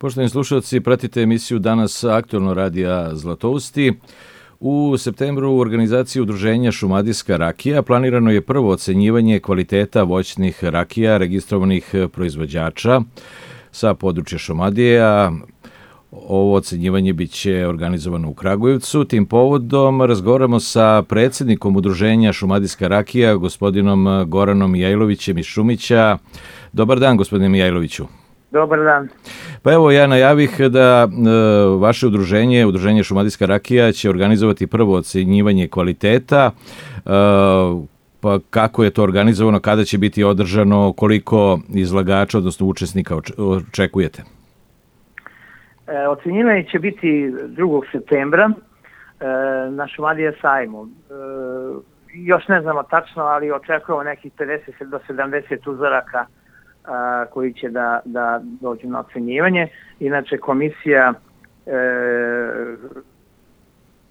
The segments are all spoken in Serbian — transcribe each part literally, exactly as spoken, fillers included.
Poštovani slušalci, pratite emisiju Danas aktualno radija Zlatousti. U septembru u organizaciji udruženja Šumadijska rakija planirano je prvo ocenjivanje kvaliteta voćnih rakija registrovanih proizvođača sa područja Šumadije, a ovo ocenjivanje biće organizovano u Kragujevcu. Tim povodom razgovaramo sa predsjednikom udruženja Šumadijska rakija, gospodinom Goranom Mijajlovićem iz Šumića. Dobar dan, gospodine Mijajloviću. Dobar dan. Pa evo, ja najavih da e, vaše udruženje, udruženje Šumadijska rakija, će organizovati prvo ocenjivanje kvaliteta. E, pa kako je to organizovano, kada će biti održano, koliko izlagača, odnosno učesnika očekujete? E, ocenjivanje će biti drugog septembra e, na Šumadije sajmu. E, još ne znamo tačno, ali očekujemo nekih pedeset do sedamdeset uzoraka a, koji će da, da dođu na ocenjivanje. Inače, komisija e,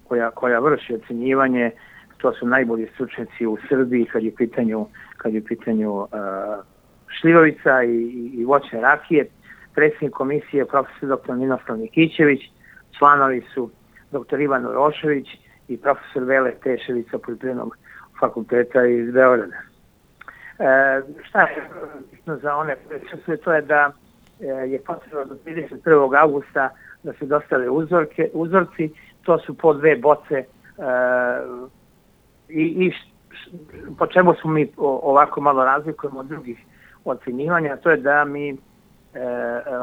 koja, koja vrši ocenjivanje, to su najbolji stručnjaci u Srbiji kad je u pitanju, kad je u pitanju a, šljivovica i, i voćne rakije. Predsjednik komisije je profesor doktor Ninoslav Nikićević, članovi su doktor Ivan Urošević i profesor Vele Tešević sa Poljoprivrednog fakulteta iz Beograda. E, šta je bitno za one koje to je da e, je potrebno do trideset prvog avgusta da se dostave uzorke, uzorci, to su po dve boce e, i, i š, š, po čemu smo mi ovako malo razlikujemo od drugih ocenjivanja, to je da mi e,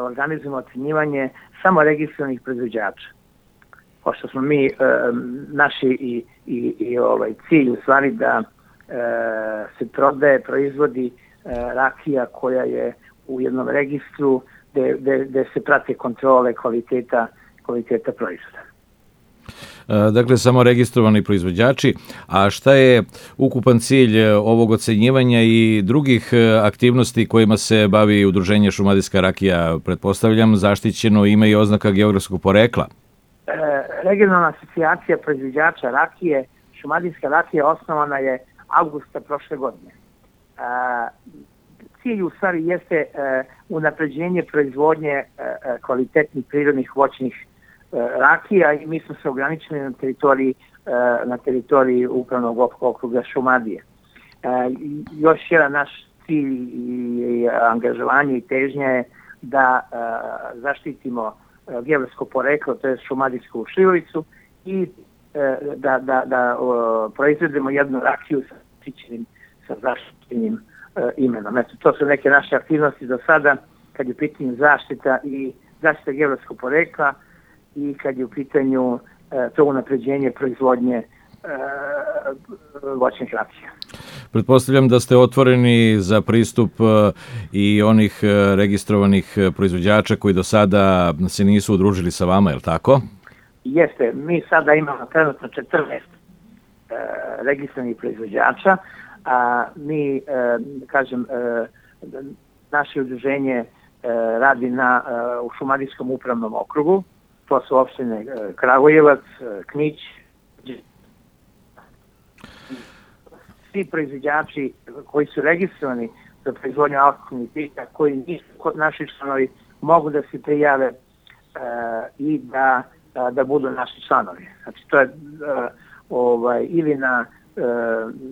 organizujemo ocenjivanje samo registrovanih proizvođača. Pošto smo mi, e, naši i, i, i ovaj cilj u stvari da se prodaje, proizvodi rakija koja je u jednom registru gde, gde, gde se prate kontrole kvaliteta, kvaliteta proizvoda. Dakle, samo registrovani proizvođači. A šta je ukupan cilj ovog ocenjivanja i drugih aktivnosti kojima se bavi udruženje Šumadijska rakija? Pretpostavljam, zaštićeno ime i oznaka geografskog porekla. E, regionalna asocijacija proizvođača rakije, Šumadijska rakija, osnovana je avgusta prošle godine. E, cilj u stvari jeste e, unapređenje proizvodnje e, kvalitetnih prirodnih voćnih e, rakija i mi smo se ograničili na teritoriji, e, na teritoriji upravnog okruga Šumadije. E, još jedan naš cilj i, i angažovanje i težnja je da e, zaštitimo e, geografsko poreklo, to je šumadijsku šljivovicu i da, da, da o, proizvedemo jednu rakiju sa zaštićenim, sa zaštićenim e, imenom. Eto, to su neke naše aktivnosti do sada kad je u pitanju zaštita i zaštita geografskog porekla i kad je u pitanju e, to unapređenje proizvodnje e, voćnih rakija. Pretpostavljam da ste otvoreni za pristup i onih registrovanih proizvođača koji do sada se nisu udružili sa vama, je li tako? Jeste, mi sada imamo trenutno četrnaest e, registrovanih proizvođača, a mi, e, kažem, e, naše udruženje e, radi na, e, u Šumadijskom upravnom okrugu, to su opštine e, Kragujevac, e, Knić. Svi proizvođači koji su registrovani za proizvodnju alkoholnih pića, koji nisu kod naših članovi, mogu da se prijave e, i da da budu naši članovi. Znači, to je uh, ovaj, ili na uh,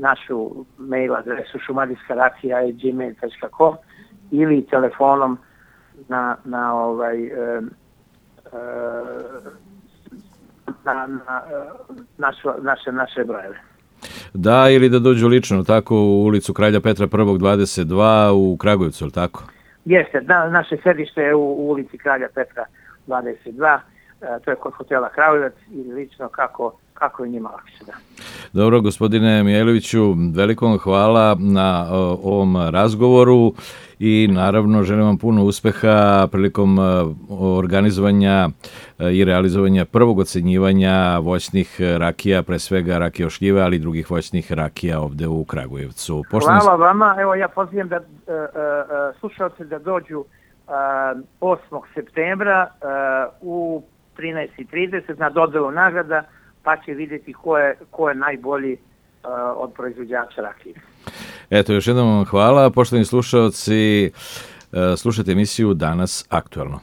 našu mail adresu šumadijska rakija at gmail dot com ili telefonom na, na, ovaj, uh, uh, na, na uh, našu, naše, naše brojeve. Da, ili da dođu lično, tako, u ulicu Kralja Petra prvog dvadeset dva u Kragujevcu, ili tako? Jeste, da, naše sedište je u, u ulici Kralja Petra dvadeset dva, to je kod hotela Kragujevac ili lično kako, kako je njima lakše. Da. Dobro, gospodine Mijajloviću, veliko vam hvala na o, ovom razgovoru i naravno želim vam puno uspeha prilikom organizovanja i realizovanja prvog ocenjivanja voćnih rakija, pre svega rakije ošljive, ali i drugih voćnih rakija ovde u Kragujevcu. Poštovni... Hvala vama, evo ja pozivam da uh, uh, slušalce da dođu uh, osmog septembra uh, u trinaest i trideset na dodelu nagrada, pa će vidjeti ko je, ko je najbolji uh, od proizvođača rakije. Eto, još jednom vam hvala. Poštovani slušalci, slušajte emisiju Danas aktualno.